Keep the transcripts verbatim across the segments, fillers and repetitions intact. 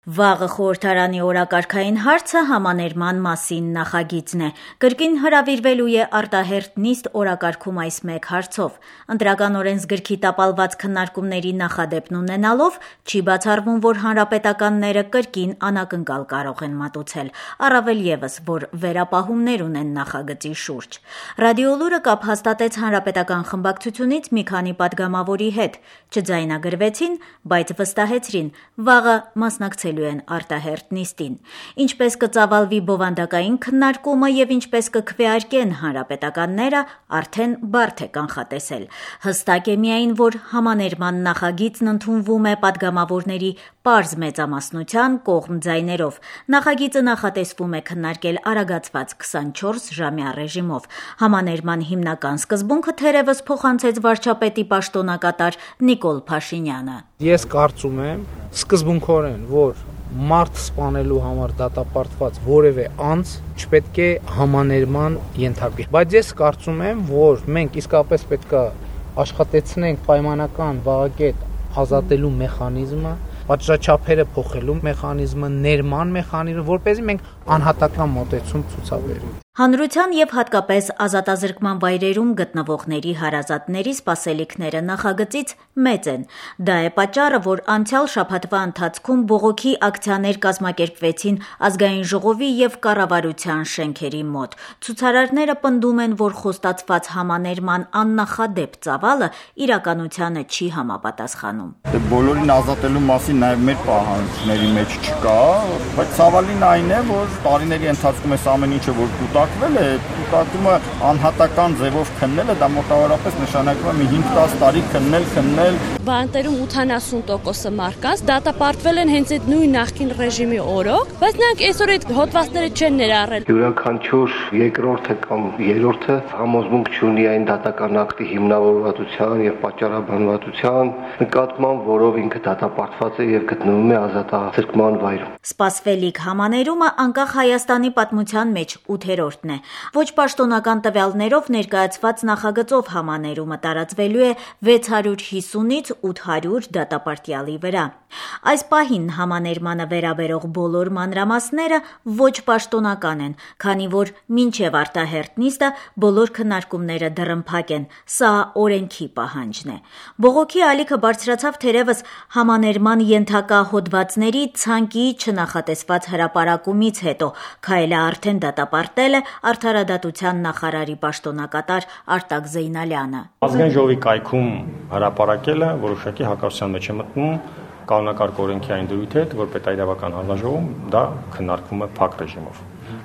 Վաղը խորհրդարանի օրակարգային հարցը համաներման մասին նախագիծն է։ Կրկին հրավիրվելու է արտահերթ նիստ օրակարգում այս մեկ հարցով։ Ընտրական օրենսգրքի տապալված քննարկումների նախադեպն ունենալով չի բացառվում, որ հանրապետականները կրկին անակնկալ կարող են մատուցել, առավել ևս, որ վերապահումներ ունեն նախագծի շուրջ։ Ռադիոլուրը կապ հաստատեց հանրապետական խմբակցությունից մի քանի պատգամավորի հետ, չձայնագրվեցին, բայց վստահեցրին, վաղը մասնակցել են արտահերթ նիստին։ Ինչպես կծավալվի բովանդակային քննարկումը եւ ինչպես կքվեարկեն հանրապետականները, արդեն բարդ է կանխատեսել։ Հստակ է միայն, որ համաներման նախագիծն ընդունվում է պատգամավորների պարզ մեծամասնության կողմ ձայներով։ Նախագիծը նախատեսվում է քննարկել արագացված քսանչորս ժամյա ռեժիմով։ Համաներման հիմնական սկզբունքը թերևս փոխանցեց վարչապետի պաշտոնակատար Նիկոլ Փաշինյանը։ Ես կարծում եմ սկզբունքորեն, որ մարդ սպանելու համար դատապարտված որևէ անձ չպետք է համաներման ենթարկվի։ Բայց ես կարծում եմ, որ մենք իսկապես պետք է աշխատեցնենք պայմանական վարակետ ազատելու մեխանիզմը, պատժաչափերը փոխելու մեխանիզմը, ներման մեխանիզմը, որպեսզի մենք անհատական մոտեցում ցուցաբերենք։ Հանրության եւ հատկապես ազատազրկման վայրերում գտնվողների հարազատների սպասելիքները նախագծից մեծ են։ Դա է պատճառը, որ անցյալ շաբաթվա ընթացքում բողոքի ակցիաներ կազմակերպվեցին Ազգային ժողովի եւ կառավարության շենքերի մոտ։ Ցուցարարները պնդում են, որ խոստացված համաներման աննախադեպ ծավալը իրականությանը չի համապատասխանում։ Բոլորին ազատելու մասին նաեւ մեր պահանջների մեջ չկա, բայց ցավալին այն է, որ տարիների ընթացքում այս ամեն ինչը որ կուտակվել է, կուտակումը անհատական ձևով քննելը դա մոտավորապես նշանակում է մի հինգ-տասը տարի քննել, քննել։ Բանտերում ութանասուն տոկոսը մարդկանց դատապարտվել են հենց այդ նույն նախկին ռեժիմի օրոք, բայց նրանք այսօր այդ հոդվածները չեն ներառել։ Յուրաքանչյուր երկրորդը կամ երրորդը համոզմունք չունի այն դատական ակտի հիմնավորվածության եւ պատճառաբանվածության նկատմամբ, որով ինքը դատապարտված է եւ գտնվում է ազատազրկման վայրում։ Սպասվելիք համաներումը անկախ Հայաստանի պատմության մեջ ութերորդն է։ Ոչ պաշտոնական տվյալներով ներկայացված նախագծով համաներումը տարածվելու է վեց հարյուր հիսունից ութ հարյուր դատապարտյալի վրա։ Այս պահին համաներմանը վերաբերող բոլոր մանրամասները ոչ պաշտոնական են, քանի որ մինչև արտահերթ նիստը բոլոր քննարկումները դռնփակ են։ Սա օրենքի պահանջն է։ Բողոքի ալիքը բարձրացավ թերևս համաներման ենթակա հոդվածների ցանկի չնախատեսված հրապարակումից հետո, քայլը արդեն դատապարտել է արդարադատության նախարարի պաշտոնակատար Արտակ Զեյնալյանը։ Ազգային ժողովի կայքում հրապարակելը որոշակի հակասության մեջ է մտնում կանոնակարգ օրենքի այն դրույթի հետ, որ պետաիրավական հանձնաժողովում դա քննարկվում է փակ ռեժիմով։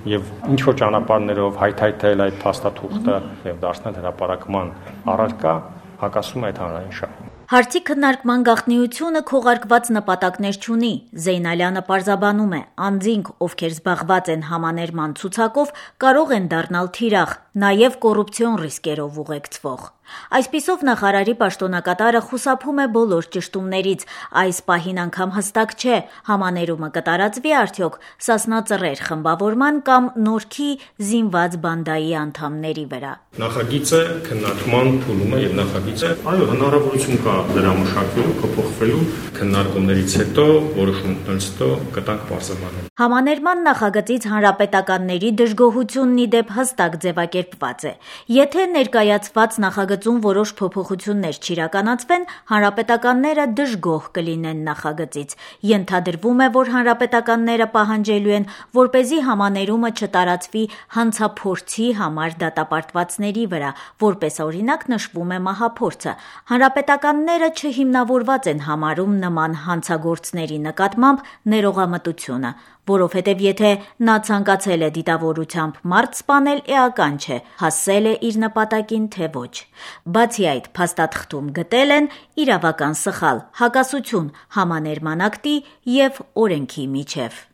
Եվ ինչ որ ճանապարհներով հայթայթել այդ փաստաթուղթը եւ դարձնել հրապարակման առարկա հակասում է այդ հանրային շահին։ Հարցի քննարկման գաղտնիությունը քողարկված նպատակներ չունի։ Զեյնալյանը պարզաբանում է, անձինք, ովքեր զբաղված են համաներման ցուցակով, կարող են դառնալ թիրախ, նաև կոռուպցիոն ռիսկերով ուղեկցվող։ Այսպիսով նախարարի պաշտոնակատարը խուսափում է բոլոր ճշտումներից։ Այս պահին անգամ հստակ չէ, համաներումը կտարածվի արդյոք Սասնա Ծռեր խմբավորման կամ Նորքի զինված բանդայի անդամների վրա։ Նախագիծը քննարկման փուլում է եւ նախագիծը, այո, հնարավորություն կա դրա մշակվելու, փոփոխվելու քննարկումներից հետո, որոշումներից հետո կտանք բարձրացնել։ Համաներման նախագծից հանրապետականների դժգոհությունն ի դեպ հստակ ձևակերպված է։ Եթե ներկայացված նախագծում որոշ փոփոխություններ չիրականացվեն, հանրապետականները դժգոհ կլինեն նախագծից։ Ենթադրվում է, որ հանրապետականները պահանջելու են, որպեսզի համաներումը չտարածվի հանցափորձի համար դատապարտվածների վրա, որպես օրինակ նշվում է մահափորձը։ Հանրապետականները չհիմնավորված են համարում նման հանցագործների նկատմամբ ներողամտությունը, որովհետև եթե նա ցանկացել է դիտավորությամբ մարդ սպանել, էական չէ, հասել է իր նպատակին, թե ոչ։ Բացի այդ, փաստաթղթում գտել են իրավական սխալ, հակասություն համաներման ակտի եւ օրենքի միջև։